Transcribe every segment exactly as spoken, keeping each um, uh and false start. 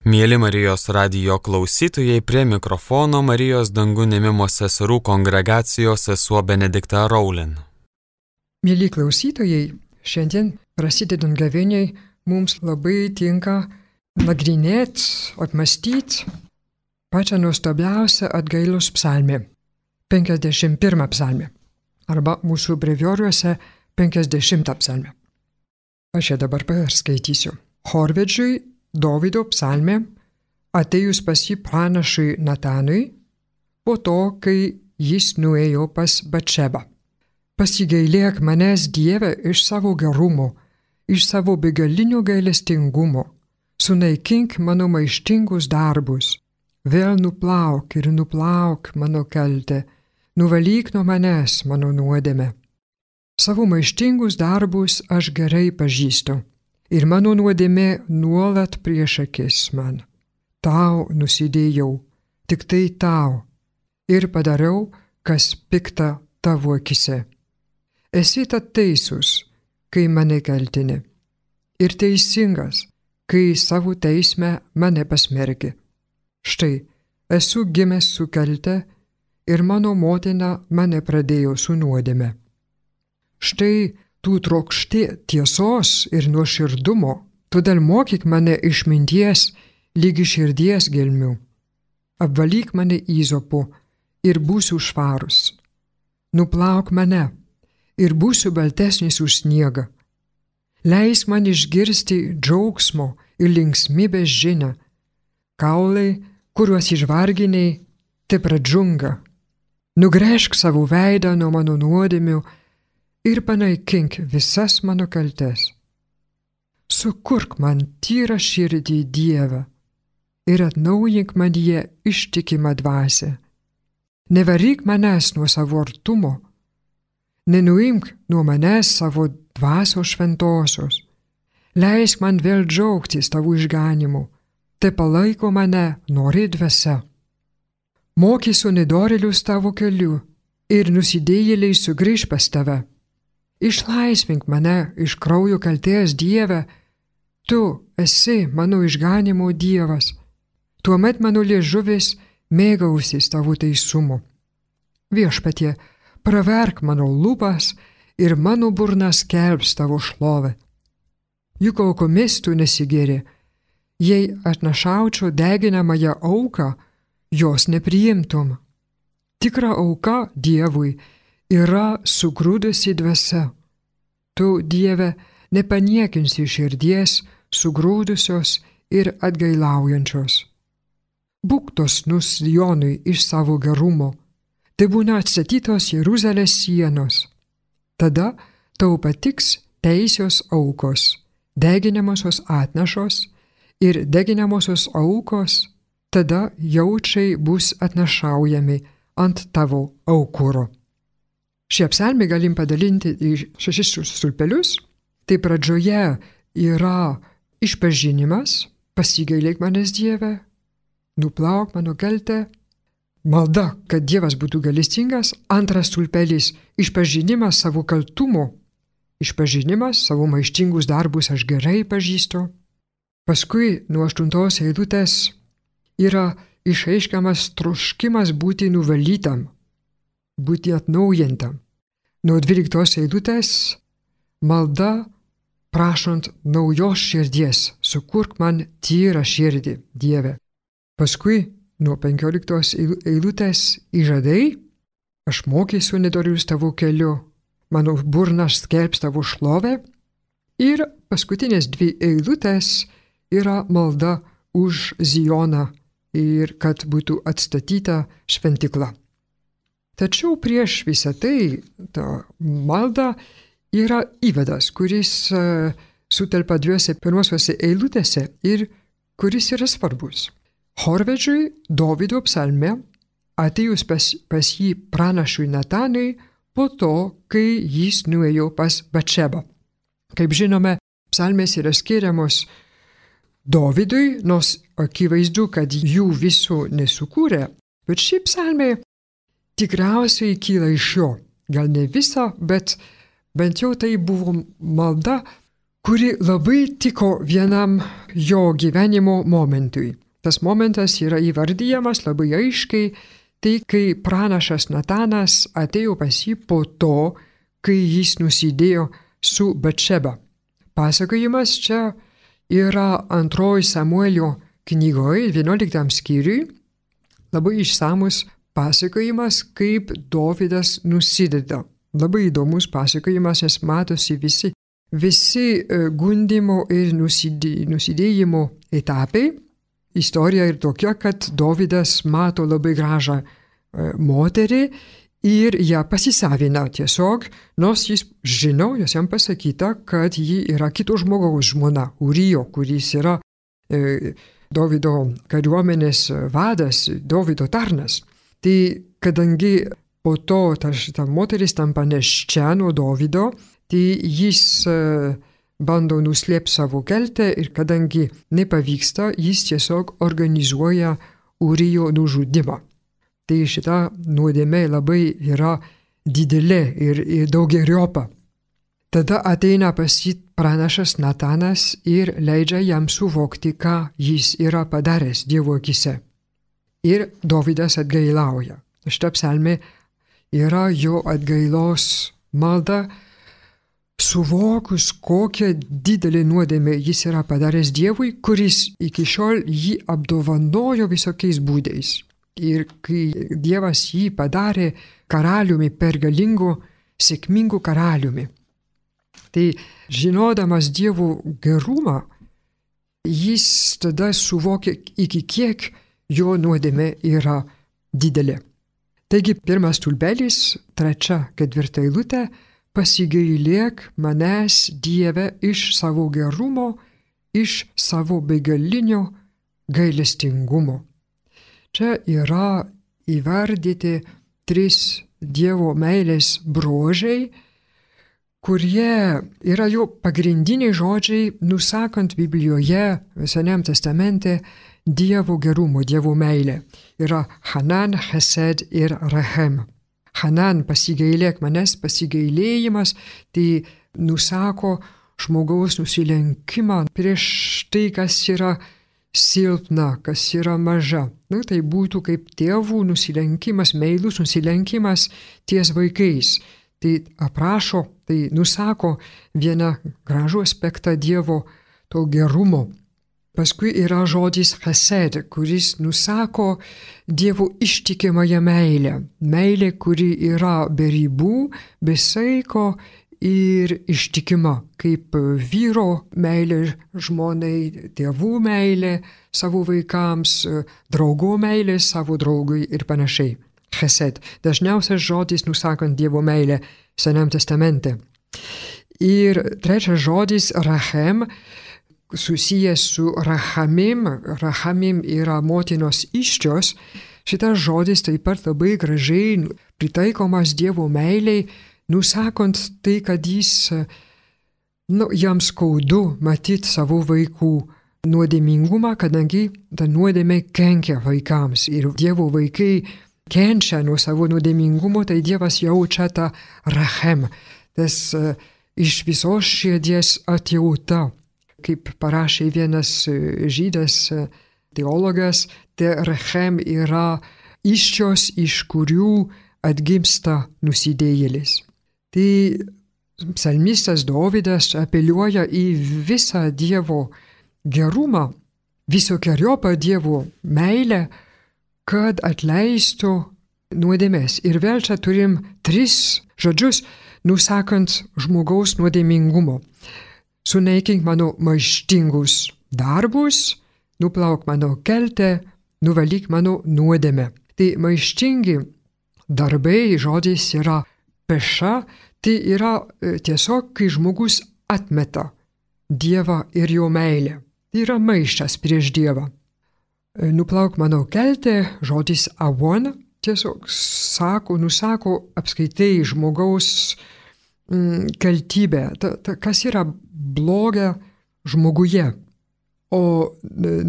Mieli Marijos radijo klausytojai, prie mikrofono Marijos dangų ėmimo seserų kongregacijos sesuo Benedikta Raulin. Mieli klausytojai, šiandien prasidedant gavėniai mums labai tinka nagrinėti, apmastyti pačią nuostabiausią atgailos psalmę, penkiasdešimt pirmą psalmę, arba mūsų brevioriuose penkiasdešimtą psalmę. Aš ją dabar perskaitysiu. Chorvedžiui Dovydo psalmė atėjus pas jį pranašui Natanui, po to, kai jis nuėjo pas Batšebą. Pasigailėk manęs, Dieve, iš savo gerumo, iš savo begalinio gailestingumo, sunaikink mano maištingus darbus, vėl nuplauk ir nuplauk mano kaltę, nuvalyk nuo manęs mano nuodėmę. Savo maištingus darbus aš gerai pažįstu. Ir mano nuodėmė nuolat prieš akis man. Tau nusidėjau, tik tai tau, ir padariau, kas pikta tavo akise. Esi tad teisus, kai mane kaltini, ir teisingas, kai savo teisme mane pasmergi. Štai, esu gimęs su kalte, ir mano motina mane pradėjo su nuodėme. Štai, tu trokšti tiesos ir nuoširdumo, todėl mokyk mane išminties lygi širdies gelmių. Apvalyk mane įzopu ir būsiu švarus. Nuplauk mane ir būsiu baltesnis už sniegą. Leisk man išgirsti džiaugsmo ir linksmybės žinią. Kaulai, kuriuos išvarginiai, te pradžunga. Nugręžk savo veidą nuo mano nuodėmių ir panaikink visas mano kaltes. Sukurk man tyrą širdį, Dieve, ir atnaujink manyje ištikimą dvasią. Nevaryk manęs nuo savo artumo, nenuimk nuo manęs savo dvasios šventosios. Leisk man vėl džiaugtis tavo išganimu, te palaiko mane nori dvasia. Mokysiu nedorėlius tavo keliu ir nusidėjėliai sugrįž pas tave. Išlaisvink mane iš kraujo kaltės, Dieve, tu esi mano išganimo Dievas. Tuomet mano liežuvis mėgausis tavo teisumu. Viešpatie, praverk mano lūpas ir mano burna skelbs tavo šlovę. Juk aukomis tu nesigėri. Jei atnašaučiau deginamąją auką, jos nepriimtum. Tikra auka Dievui yra sugrūdusi dvasia. Tu, Dieve, nepaniekinsi širdies sugrūdusios ir atgailaujančios. Būk dosnus Sionui iš savo gerumo, tai būna atstatytos Jeruzalės sienos. Tada tau patiks teisios aukos, deginamosios atnašos ir deginamosios aukos, tada jaučiai bus atnašaujami ant tavo aukuro. Šią psalmę galim padalinti į šešis stulpelius. Tai pradžioje yra išpažinimas, pasigailėk manęs, Dieve, nuplauk mano kaltę, malda, kad Dievas būtų gailestingas. Antras stulpelis – išpažinimas savo kaltumo, išpažinimas savo maištingus darbus aš gerai pažįstu. Paskui nuo aštuntos eilutės yra išreiškiamas troškimas būti nuvalytam, būti atnaujintam. Nuo dvyliktos eilutės malda prašant naujos širdies, sukurk man tyrą širdį, Dieve. Paskui nuo penkioliktos eilutės įžadai, aš mokysiu nedorius tavo keliu, mano burna skelbs tavo šlovę. Ir paskutinės dvi eilutės yra malda už Zioną ir kad būtų atstatyta šventykla. Tačiau prieš visą tai, ta malda yra įvadas, kuris uh, sutelpa dviejose pirmosiuose eilutėse ir kuris yra svarbus. Chorvedžiui Dovydo psalmė atėjus pas, pas jį pranašui Natanui po to, kai jis nuėjo pas Batšebą. Kaip žinome, psalmės yra skiriamos Dovydui, nors akivaizdu, kad jų visų nesukūrė, bet ši psalmė tikriausiai kyla iš jo. Gal ne visa, bet bent jau tai buvo malda, kuri labai tiko vienam jo gyvenimo momentui. Tas momentas yra įvardyjamas labai aiškiai, tai kai pranašas Natanas atėjo pas jį po to, kai jis nusidėjo su Batšeba. Pasakojimas čia yra antroji Samuelio knygoje, vienuoliktam skyriui, labai išsamus pasakojimas, kaip Dovydas nusideda. Labai įdomus pasakojimas, nes matosi visi, visi gundimo ir nusidėjimo etapai. Istorija ir tokia, kad Dovydas mato labai gražią moterį ir ją pasisavina tiesiog, nors jis žino, jos jam pasakyta, kad ji yra kito žmogaus žmona, Urijo, kuris yra e, Dovydo kariuomenės vadas, Dovydo tarnas. Tai kadangi po to ta, ta moteris tampa neščia nuo Dovydo, tai jis e, bando nuslėpti savo kaltę ir kadangi nepavyksta, jis tiesiog organizuoja Urijo nužudimą. Tai šita nuodėmė labai yra didelė ir, ir daugeriopa. Tada ateina pas jį pranašas Natanas ir leidžia jam suvokti, ką jis yra padaręs Dievo akise. Ir Dovydas atgailauja. Šita psalmė yra jo atgailos malda, suvokus, kokią didelį nuodėmę jis yra padaręs Dievui, kuris iki šiol jį apdovanojo visokiais būdais. Ir kai Dievas jį padarė karaliumi, pergalingu, sėkmingu karaliumi. Tai žinodamas Dievo gerumą, jis tada suvokė, iki kiek jo nuodėmė yra didelė. Taigi pirmas stulpelis, trečia, ketvirta eilutė, pasigailėk manęs, Dieve, iš savo gerumo, iš savo begalinio gailestingumo. Čia yra įvardyti tris Dievo meilės bruožai, kurie yra jo pagrindiniai žodžiai, nusakant Biblijoje, Senajam testamente, Dievo gerumo, Dievo meilė. Yra Hanan, Chesed ir Rechem. Hanan, pasigailėk manęs, pasigailėjimas, tai nusako žmogaus nusilenkimą prieš tai, kas yra silpna, kas yra maža. Nu, tai būtų kaip tėvų nusilenkimas, meilus nusilenkimas ties vaikais. Tai aprašo, tai nusako vieną gražų aspektą Dievo to gerumo. Paskui yra žodis chesed, kuris nusako Dievo ištikimąją meilę. Meilė, kuri yra be ribų, be saiko ir ištikima, kaip vyro meilė žmonai, tėvų meilė savo vaikams, draugo meilė savo draugui ir panašiai. Chesed. Dažniausias žodis nusakant Dievo meilę Senam testamente. Ir trečias žodis Rachem, susijęs su Rachamim. Rachamim yra motinos įsčios. Šitas žodis taip pat labai gražiai pritaikomas Dievo meiliai, nusakant tai, kad jis, nu, jam skaudu matyti savo vaikų nuodėmingumą, kadangi ta nuodėmė kenkia vaikams ir Dievo vaikai kenčia nuo savo nuodėmingumo, tai Dievas jaučia tą Rachem, tas uh, iš visos širdies atjauta. Kaip parašė vienas žydas teologas, tai Rechem yra įsčios, iš kurių atgimsta nusidėjėlis. Tai psalmistas Dovydas apeliuoja į visą Dievo gerumą, visokeriopą Dievo meilę, kad atleistų nuodėmes. Ir vėl čia turim tris žodžius, nusakant žmogaus nuodėmingumo. Sunaikink mano maištingus darbus, nuplauk mano kaltę, nuvalyk mano nuodėmę. Tai maištingi darbai, žodis yra peša, tai yra tiesiog, kai žmogus atmeta Dievą ir jo meilę. Tai yra maištas prieš Dievą. Nuplauk mano kaltę, žodis avon, tiesiog sako, nusako apskaitai žmogaus mm, kaltybę, ta, ta, kas yra bloga žmoguje. O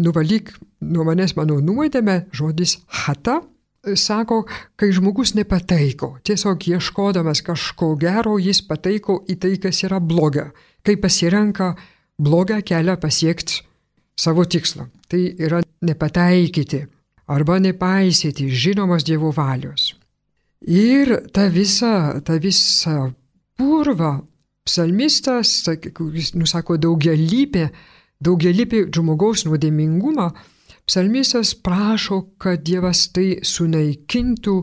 nuvalyk nuo manęs mano nuodėmę, žodis hata, sako, kai žmogus nepataiko. Tiesiog ieškodamas kažko gero, jis pataiko į tai, kas yra bloga. kai pasirenka blogą kelią pasiekti savo tikslą. Tai yra nepataikyti arba nepaisyti žinomos Dievo valios. Ir ta visa, ta visa purva psalmistas, kuris nusako daugialypė, daugialypė žmogaus nuodėmingumą, psalmistas prašo, kad Dievas tai sunaikintų,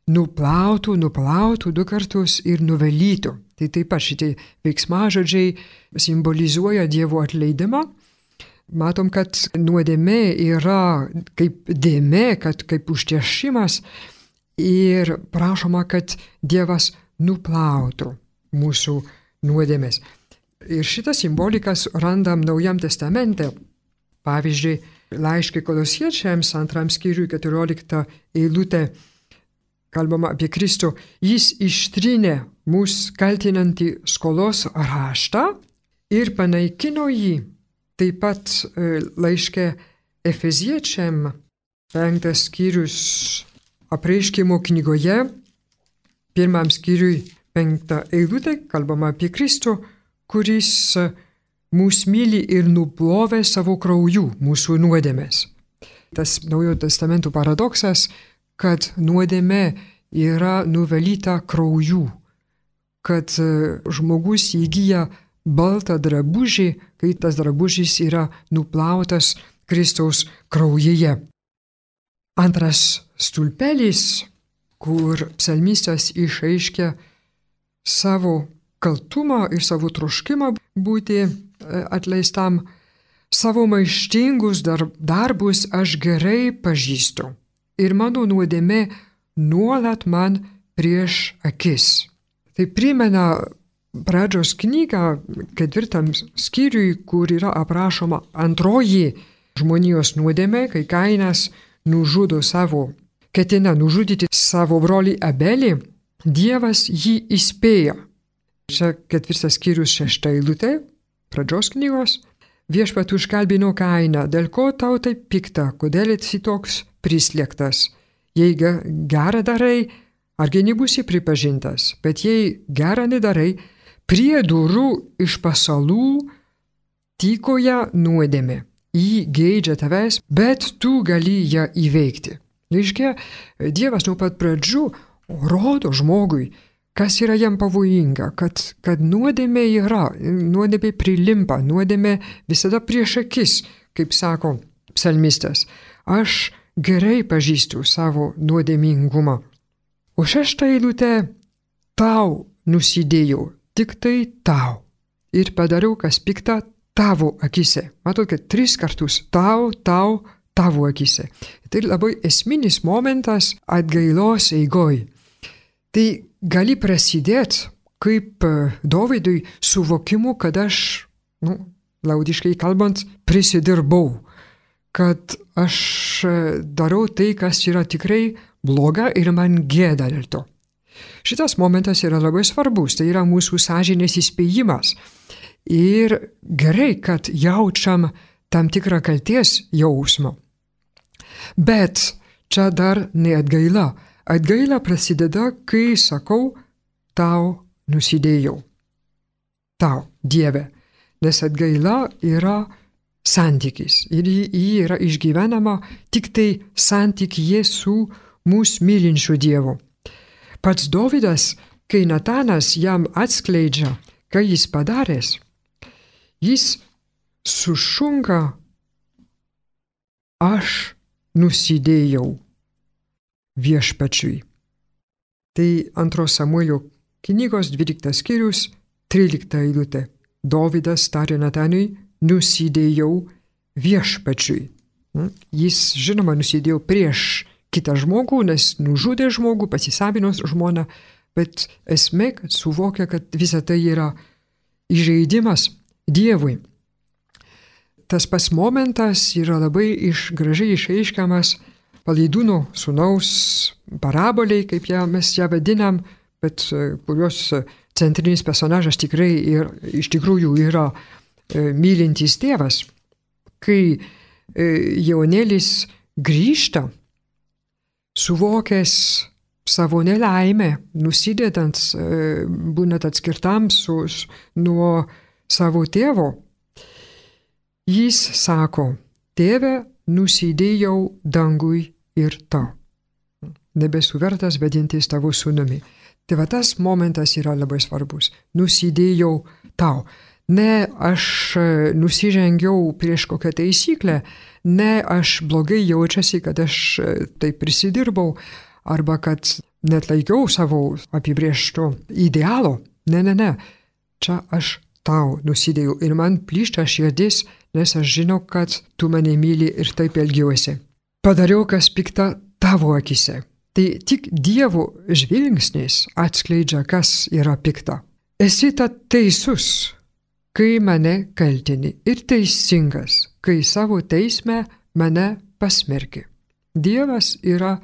nuplautų, nuplautų du kartus ir nuvalytų. Tai taip pat šitie veiksmažodžiai simbolizuoja Dievo atleidimą. Matom, kad nuodėmė yra kaip dėmė, kad kaip užtiešimas ir prašoma, kad Dievas nuplautų mūsų nuodėmės. Ir šitą simbolikas randam Naujam testamente. Pavyzdžiui, laiške Kolosiečiams antram skyriui keturiolikta eilutė kalbama apie Kristų. Jis ištrynė mūsų kaltinantį skolos raštą ir panaikino jį. Taip pat laiške Efeziečiam penktas skyrius apreiškimo knygoje, pirmam skyriui penktą eilutę kalbama apie Kristų, kuris mūsų myli ir nuplovė savo krauju mūsų nuodėmės. Tas Naujojo testamento paradoksas, kad nuodėmė yra nuvalyta krauju, kad žmogus įgyja baltą drabužį, kai tas drabužis yra nuplautas Kristaus kraujyje. Antras stulpelis, kur psalmistas išaiškia savo kaltumą ir savo troškimą būti atleistam, savo maištingus darbus aš gerai pažįstu ir mano nuodėmė nuolat man prieš akis. Tai primena pradžios knygą ketvirtam skyriui, kur yra aprašoma antroji žmonijos nuodėmė, kai Kainas nužudo savo, ketina nužudyti savo brolį Abelį, Dievas jį įspėjo. Čia ketvirtas skyrius šešta eilutė pradžios knygos. Viešpat užkalbino Kainą, dėl ko tau taip pikta, kodėl esi toks prislėgtas. Jei gerą darai, argi nebūsi pripažintas, bet jei gerą nedarai, prie durų iš pasalų tykoja nuodėmė. Jį geidžia tavęs, bet tu gali ją įveikti. Reiškia, Dievas nuo pat pradžių rodo žmogui, kas yra jam pavojinga, kad, kad nuodėmė yra, nuodėmė prilimpa, nuodėmė visada prieš akis, kaip sako psalmistas. Aš gerai pažįstu savo nuodėmingumą. O šeštą eilutę tau nusidėjau, tik tai tau. Ir padariau, kas pikta tavo akise. Matot, kad tris kartus tau, tau, tavo akise. Tai labai esminis momentas atgailos eigoj. Tai gali prasidėti kaip Dovydui suvokimu, kad aš, nu, liaudiškai kalbant, prisidirbau. Kad aš darau tai, kas yra tikrai bloga ir man gėda dėl to. Šitas momentas yra labai svarbus, tai yra mūsų sąžinės įspėjimas. Ir gerai, kad jaučiam tam tikrą kalties jausmą. Bet čia dar ne atgaila. Atgaila prasideda, kai sakau, tau nusidėjau. Tau, Dieve. Nes atgaila yra santykis. Ir jį yra išgyvenama tik tai santykyje su mūsų mylinčiu Dievu. Pats Dovydas, kai Natanas jam atskleidžia, ką jis padaręs, jis sušunka, aš nusidėjau viešpačiui. Tai antros Samuelio knygos dvyliktas skyrius, trylikta eilutė. Dovydas tarė Natanui, nusidėjau viešpačiui. Jis, žinoma, nusidėjo prieš kitą žmogų, nes nužudė žmogų, pasisavino žmoną, bet esmė, kad suvokia, kad visa tai yra įžeidimas Dievui. Tas pats momentas yra labai iš, gražiai išaiškiamas Palaidūno sūnaus paraboliai, kaip ją, mes ją vadinam, bet kurios centrinis personažas tikrai ir, iš tikrųjų yra e, mylintis tėvas. Kai e, jaunėlis grįžta, suvokęs savo nelaimę, nusidedant, e, būnant atskirtam su, nuo savo tėvo, jis sako, tėve, nusidėjau dangui ir tau. Nebesu vertas vadintis tavo sūnumi. Tai va tas momentas yra labai svarbus. Nusidėjau tau. Ne aš nusižengiau prieš kokią taisyklę, ne aš blogai jaučiasi, kad aš tai prisidirbau, arba kad net laikiau savo apibrėžto idealo. Ne, ne, ne. Čia aš tau nusidėjau ir man plyšta širdis, nes aš žinau, kad tu mane myli ir taip elgiuosi. Padariau, kas pikta tavo akise. Tai tik Dievo žvilgsnis atskleidžia, kas yra pikta. Esi ta teisus, kai mane kaltini, ir teisingas, kai savo teisme mane pasmerki. Dievas yra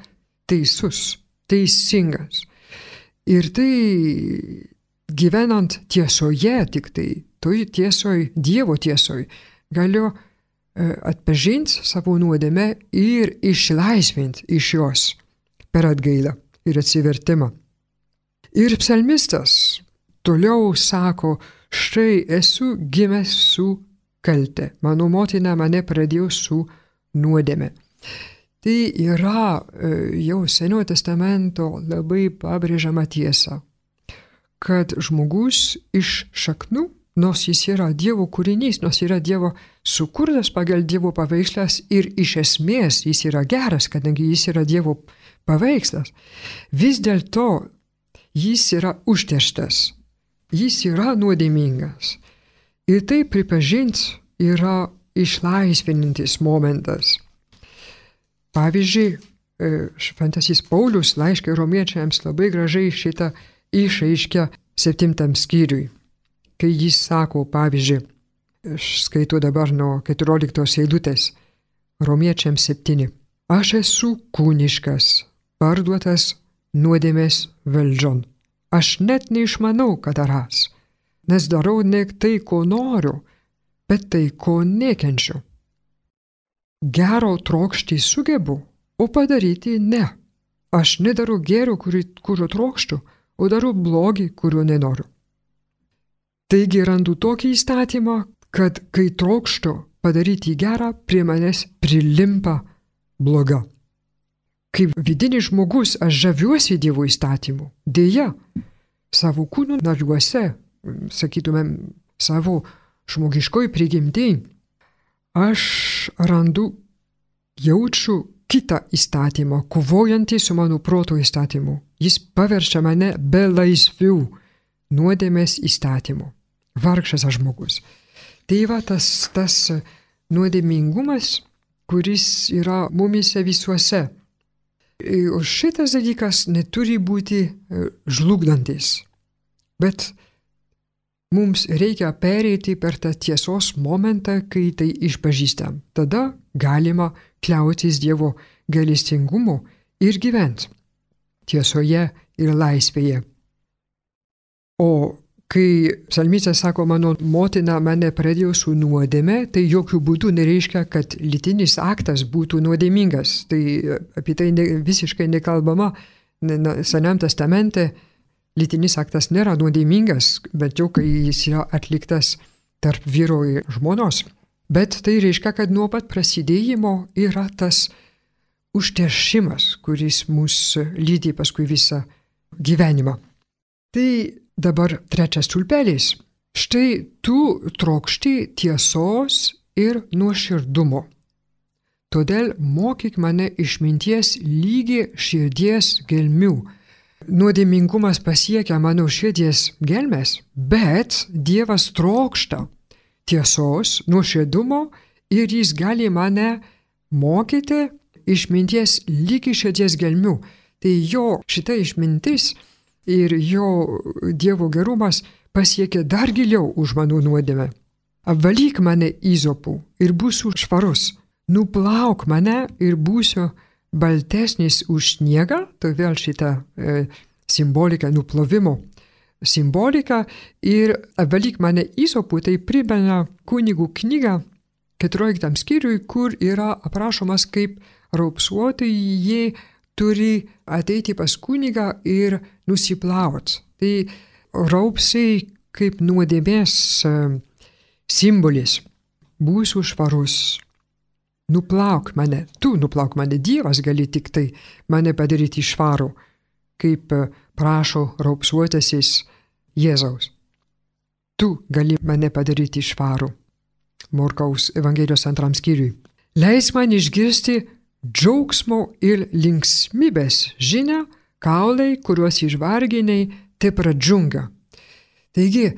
teisus, teisingas. Ir tai gyvenant tiesoje, tik tai, toj tiesoj, Dievo tiesoj, galiu atpažinti savo nuodėmę ir išlaisvinti iš jos per atgailą ir atsivertimą. Ir psalmistas toliau sako, štai esu gimęs su kalte, mano motina mane pradėjo su nuodėme. Tai yra jau Senojo testamento labai pabrėžiama tiesa, kad žmogus iš šaknų, nors jis yra Dievo kūrinys, nors yra Dievo sukurtas pagal Dievo paveikslas ir iš esmės jis yra geras, kadangi jis yra Dievo paveikslas, vis dėlto jis yra užterštas, jis yra nuodėmingas. Ir tai pripažinti yra išlaisvinantis momentas. Pavyzdžiui, šventasis Paulius laiškai romiečiams labai gražiai šitą išaiškia septintam skyriui, kai jis sako, pavyzdžiui, aš skaitau dabar nuo keturioliktos eilutės, romiečiams septyni. Aš esu kūniškas, parduotas nuodėmės valdžion. Aš net neišmanau, ką darąs, nes darau ne tai, ko noriu, bet tai, ko nekenčiu. Gero trokšti sugebu, o padaryti ne. Aš nedarau gėrio, kurio trokštu, o darau blogį, kurio nenoriu. Taigi randu tokį įstatymą, kad kai trokštu padaryti gerą, prie manęs prilimpa bloga. Kaip vidinis žmogus aš žaviuosi Dievo įstatymu. Deja, savo kūnų nariuose, sakytumėm, savo žmogiškoj prigimtį, aš randu, jaučiu kitą įstatymą, kovojantį su mano proto įstatymu. Jis paverčia mane be laisvių nuodėmės įstatymu. Vargšas aš žmogus. Tai va tas, tas nuodėmingumas, kuris yra mumise visuose. O šitas dalykas neturi būti žlugdantis. Bet mums reikia pereiti per tą tiesos momentą, kai tai išpažįstam. Tada galima kliautis Dievo gailestingumu ir gyventi tiesoje ir laisvėje. O kai psalmistas sako, mano motina mane pradėjo su nuodėme, tai jokių būdų nereiškia, kad lytinis aktas būtų nuodėmingas. Tai apie tai ne, visiškai nekalbama. Senam testamente lytinis aktas nėra nuodėmingas, bet jau kai jis yra atliktas tarp vyro ir žmonos. Bet tai reiškia, kad nuo pat prasidėjimo yra tas užteršimas, kuris mus lydi paskui visą gyvenimą. Tai dabar trečias stulpelis. Štai tu trokšti tiesos ir nuoširdumo. Todėl mokyk mane išminties lygi širdies gelmių. Nuodėmingumas pasiekia mano širdies gelmes, bet Dievas trokšta tiesos, nuoširdumo ir jis gali mane mokyti išminties lygi širdies gelmių. Tai jo šita išmintis ir jo Dievo gerumas pasiekia dar giliau už mano nuodėmę. Apvalyk mane įzopu ir būsiu švarus. Nuplauk mane ir būsiu baltesnis už sniegą. Tai vėl šita e, simbolika nuplovimo simbolika. Ir apvalyk mane įzopu, tai primena kunigų knygą keturioliktam skyriui, kur yra aprašomas, kaip raupsuotieji turi ateiti pas kunigą ir nusiplauti. Tai raupsiai kaip nuodėmės simbolis. Būsiu švarus. Nuplauk mane, tu nuplauk mane, Dievas gali tik tai mane padaryti švarų, kaip prašo raupsuotasis Jėzaus. Tu gali mane padaryti švarų. Morkaus Evangelijos antram skyriui. Leis man išgirsti džiaugsmo ir linksmybės žinią, kaulai, kuriuos išvarginiai, te pradžiunga. Taigi,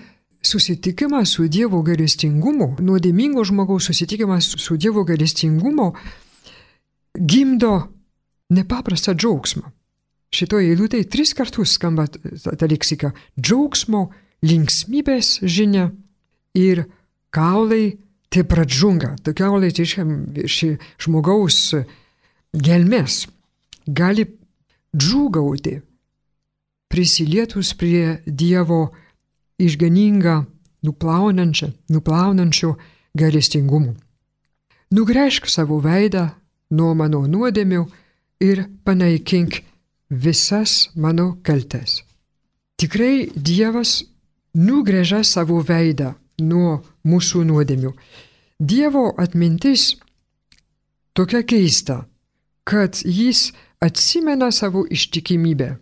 susitikimas su Dievo gailestingumu, nuodėmingo žmogaus susitikimas su Dievo gailestingumu gimdo nepaprastą džiaugsmą. Šitoje eilutėje tris kartus skamba ta leksika – džiaugsmo, linksmybės žinia ir kaulai te pradžiunga. Ta kaulai tai ši žmogaus gelmės gali džiūgauti prisilietus prie Dievo išganingą, nuplaunančią, nuplaunančių gailestingumų. Nugręžk savo veidą nuo mano nuodėmių ir panaikink visas mano kaltes. Tikrai Dievas nugręžia savo veidą nuo mūsų nuodėmių. Dievo atmintis tokia keista, kad jis atsimena savo ištikimybę,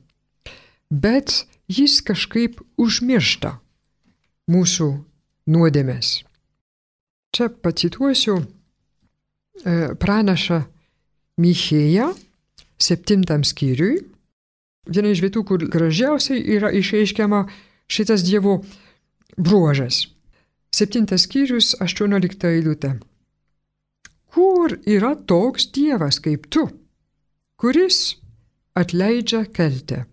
bet jis kažkaip užmiršta mūsų nuodėmės. Čia pacituosiu pranašą Michėją septintam skyriui. Viena iš vietų, kur gražiausiai yra išreiškiama šitas Dievo bruožas. Septintas skyrius, aštuoniolikta eilutė. Kur yra toks Dievas kaip tu, kuris atleidžia kaltę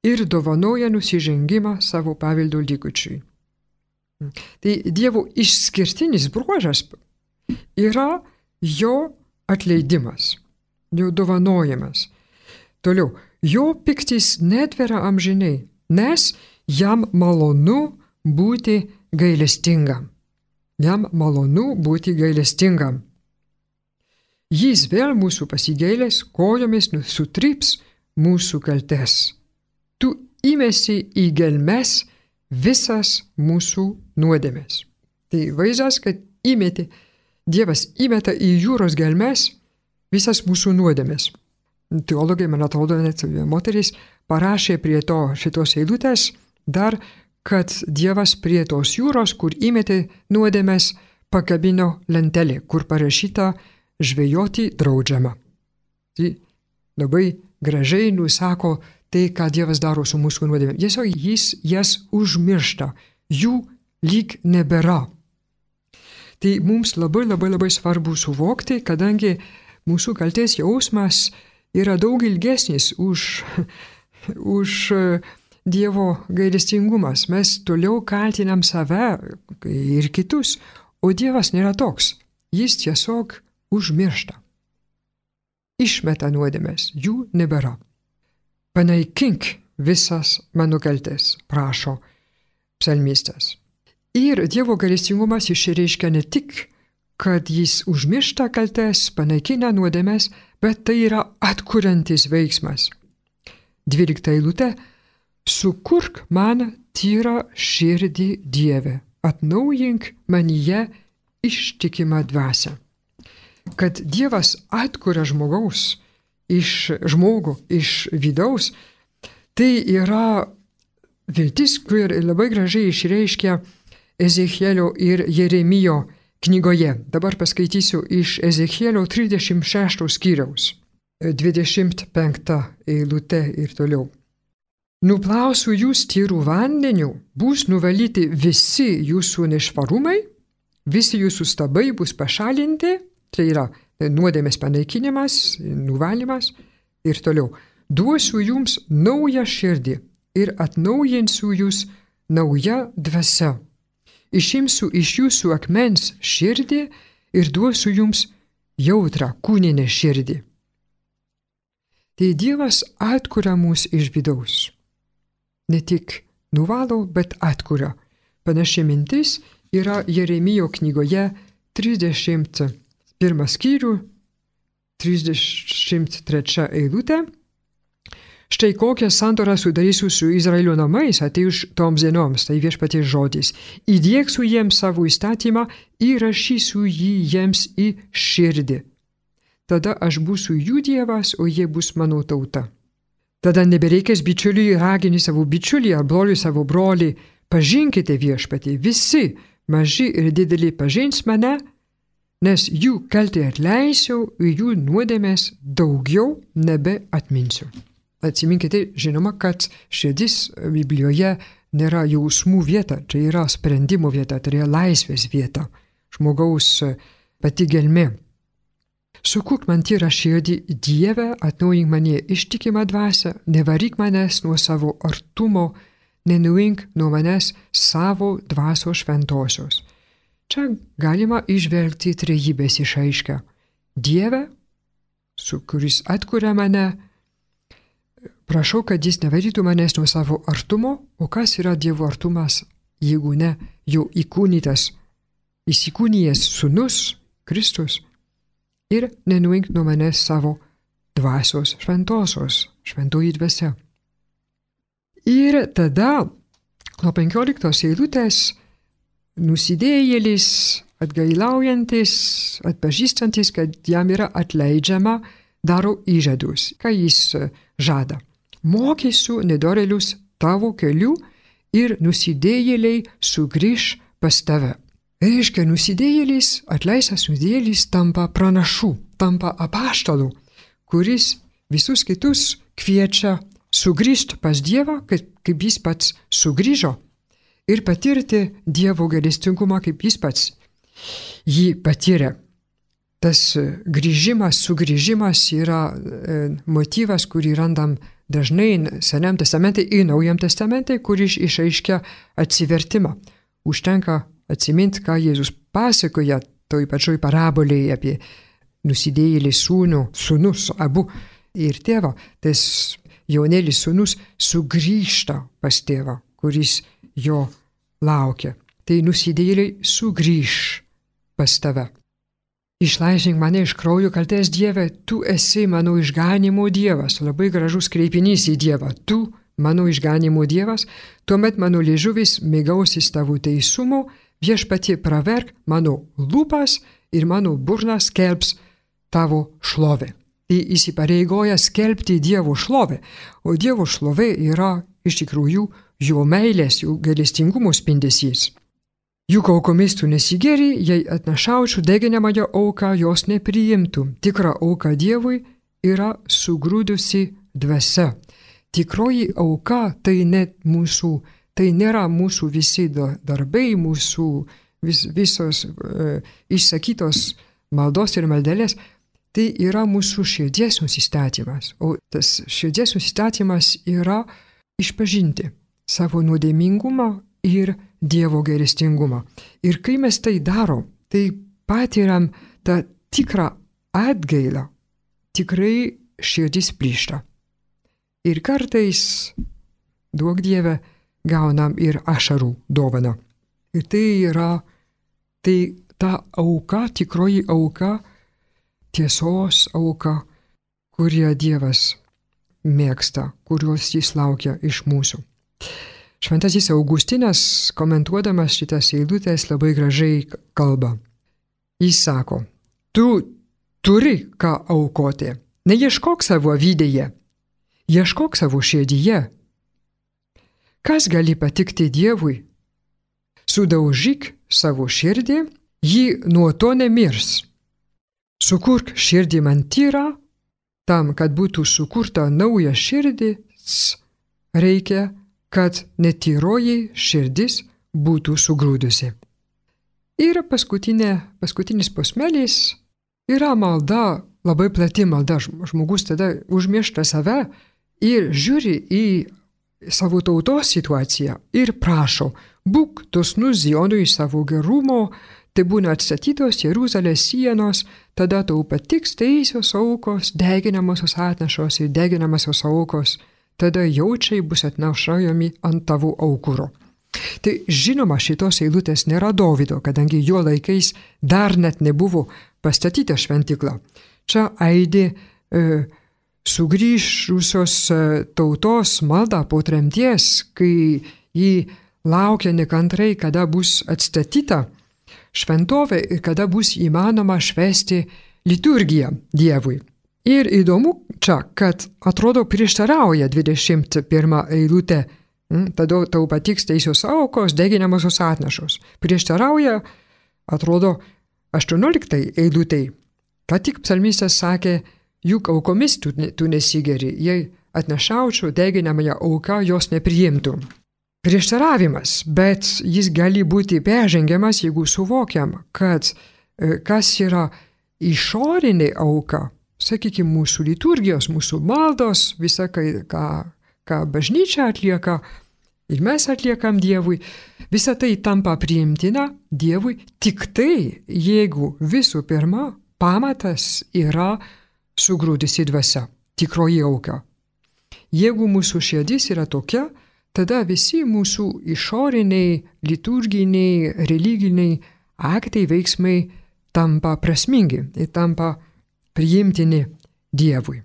ir dovanoja nusižengimą savo paveldo likučiui. Tai Dievo išskirtinis bruožas yra jo atleidimas, jo dovanojimas. Toliau, jo piktis netvera amžinai, nes jam malonu būti gailestingam. Jam malonu būti gailestingam. Jis vėl mūsų pasigailės, kojomis sutryps mūsų kaltes. Tu įmesi į gelmes visas mūsų nuodėmės. Tai vaizdas, kad įmeti, Dievas įmeta į jūros gelmes visas mūsų nuodėmės. Teologai, man atrodo, net moteris parašė prie to šitos eilutės dar, kad Dievas prie tos jūros, kur įmetė nuodėmės, pakabino lentelę, kur parašyta žvejoti draudžiama. Tai labai gražiai nusako tai, ką Dievas daro su mūsų nuodėmėm. Tiesiog jis jas užmiršta, jų lyg nebėra. Tai mums labai labai labai svarbu suvokti, kadangi mūsų kaltės jausmas yra daug ilgesnis už, už Dievo gailestingumas. Mes toliau kaltinam save ir kitus, o Dievas nėra toks. Jis tiesiog užmiršta. Išmeta nuodėmės, jų nebėra. Panaikink visas mano kaltes, prašo psalmistas. Ir Dievo gailestingumas išreiškia ne tik, kad jis užmiršta kaltes, panaikina nuodėmes, bet tai yra atkuriantis veiksmas. Dvylikta eilutė. Sukurk man tyrą širdį Dieve, atnaujink manyje ištikimą dvasią. Kad Dievas atkuria žmogaus, iš žmogų, iš vidaus, tai yra viltis, kur labai gražiai išreiškia Ezechielio ir Jeremijo knygoje. Dabar paskaitysiu iš Ezechielio trisdešimt šešto skyriaus, dvidešimt penkta eilutė ir toliau. Nuplausiu jūs tyrų vandeniu, bus nuvalyti visi jūsų nešvarumai, visi jūsų stabai bus pašalinti, tai yra nuodėmės panaikinimas, nuvalymas ir toliau. Duosiu jums naują širdį ir atnaujinsiu jūs nauja dvasia. Išimsiu iš jūsų akmens širdį ir duosiu jums jautrą kūninę širdį. Tai Dievas atkuria mus iš vidaus. Ne tik nuvalo, bet atkuria. Panaši mintis yra Jeremijo knygoje trisdešimt pirmą skyrių, trisdešimt trečia eilutė. Štai kokią sandorą sudarysiu su Izraelio namais atėjus toms dienoms, tai viešpaties žodis. Įdieksiu jiems savo įstatymą, įrašysiu jį jiems į širdį. Tada aš būsiu jų dievas, o jie bus mano tauta. Tada nebereikės bičiuliui raginti savo bičiulį ar broliui savo brolį. Pažinkite viešpatį, visi, maži ir dideli pažins mane, nes jų kaltę atleisiu, jų nuodėmės daugiau nebeatminsiu. Atsiminkite, žinoma, kad širdis Biblijoje nėra jausmų vieta, čia yra sprendimo vieta, tai yra laisvės vieta, žmogaus pati gelmė. Sukurk man tyrą širdį, Dieve, atnaujink mane ištikimą dvasią, nevaryk manęs nuo savo artumo, nenuink nuo manęs savo dvasios šventosios. Čia galima išvelgti trejybės išaiškę. Dieve, su kuris atkuria mane, prašau, kad jis nevarytų manęs nuo savo artumo, o kas yra Dievo artumas, jeigu ne jau įkūnytas, įsikūnijęs sūnus, Kristus, ir nenuink nuo manęs savo dvasios šventosios, šventoji dvasia. Ir tada, nuo penkioliktos eilutės, nusidėjėlis, atgailaujantis, atpažįstantis, kad jam yra atleidžiama, daro įžadus. Ką jis žada? Mokysiu nedorėlius tavo kelių ir nusidėjėliai sugrįš pas tave. Reiškia, nusidėjėlis, atleistas nusidėjėlis tampa pranašu, tampa apaštalu, kuris visus kitus kviečia sugrįžti pas Dievą, kaip, kaip jis pats sugrįžo, ir patirti Dievo gailestingumą, kaip jis pats jį patyrė. Tas grįžimas, sugrįžimas yra e, motyvas, kurį randam dažnai Senam testamente ir Naujam testamente, kuris išaiškia atsivertimą. Užtenka atsiminti, ką Jėzus pasakoja toj pačioj parabolėje apie nusidėjėlį sūnų, sūnus abu ir tėvą. Tas jaunėlis sūnus sugrįžta pas tėvą, kuris jo laukia. Tai nusidėjėliai sugrįž pas tave. Išlaisvink mane iš kraujo kaltės, Dieve, tu esi mano išganimo Dievas. Labai gražus kreipinys į Dievą. Tu, mano išganimo Dievas, tuomet mano liežuvis mėgausis tavo teisumo, viešpatie praverk mano lūpas ir mano burnas skelbs tavo šlovę. Tai įsipareigoja skelbti Dievo šlovę, o Dievo šlovė yra iš tikrųjų jo meilės, jo gailestingumo spindesys. Juk aukomis tu nesigeri, jei atnašaučiau deginamąją auką, jos nepriimtum. Tikra auka Dievui yra sugrūdusi dvasia. Tikroji auka tai net mūsų, tai nėra mūsų visi darbai, mūsų vis, visos e, išsakytos maldos ir maldelės, tai yra mūsų širdies nusistatymas. O tas širdies nusistatymas yra išpažinti savo nuodėmingumą ir Dievo gailestingumą. Ir kai mes tai darom, tai patiriam tą tikrą atgailą, tikrai širdis plyšta. Ir kartais, duok Dieve, gaunam ir ašarų dovaną. Ir tai yra, tai ta auka, tikroji auka, tiesos auka, kurią Dievas mėgsta, kurios jis laukia iš mūsų. Šventasis Augustinas, komentuodamas šitas eilutes, labai gražiai kalba. Jis sako, tu turi ką aukoti, neieškok savo vidėje, ieškok savo širdyje. Kas gali patikti Dievui? Sudaužyk savo širdį, ji nuo to nemirs. Sukurk širdį man tyrą, tam, kad būtų sukurta nauja širdis, reikia kad netyroji širdis būtų sugrūdusi. Ir paskutinė, paskutinis posmelis yra malda, labai plati malda. Žmogus tada užmiršta save ir žiūri į savo tautos situaciją ir prašo, būk dosnus Zionui savo gerumo, tai būna atstatytos Jeruzalės sienos, tada tau patiks teisios aukos, deginamosios atnašos ir deginamosios aukos. Tada jaučiai bus atnašaujami ant tavo aukuro. Tai žinoma, šitos eilutės nėra Dovydo, kadangi jo laikais dar net nebuvo pastatyta šventykla. Čia aidi e, sugrįžusios tautos maldą po tremties, kai jį laukia nekantrai, kada bus atstatyta šventovė ir kada bus įmanoma švęsti liturgiją Dievui. Ir įdomu čia, kad atrodo prieštarauja dvidešimt pirmą eilutę, tada tau patiks teisios aukos, deginamosios atnašos. Prieštarauja, atrodo, aštuonioliktai eilutei. Ką tik psalmistas sakė, juk aukomis tu, tu nesigeri, jei atnašaučiau deginamąją auką, jos nepriimtų. Prieštaravimas, bet jis gali būti peržengiamas, jeigu suvokiam, kad kas yra išorinė auka, sakykime, mūsų liturgijos, mūsų maldos, visa, ką, ką bažnyčia atlieka ir mes atliekam Dievui, visa tai tampa priimtina Dievui tik tai, jeigu visų pirma pamatas yra sugrūdusi dvasia, tikroji auka. Jeigu mūsų širdis yra tokia, tada visi mūsų išoriniai, liturginiai, religiniai aktai, veiksmai tampa prasmingi ir tampa priimtini Dievui.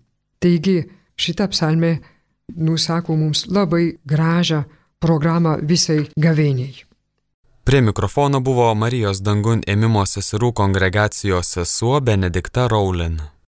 Taigi šita psalmė nusako mums labai gražią programą visai gavėniai. Prie mikrofono buvo Marijos dangun ėmimo seserų kongregacijos sesuo Benedikta Rowland.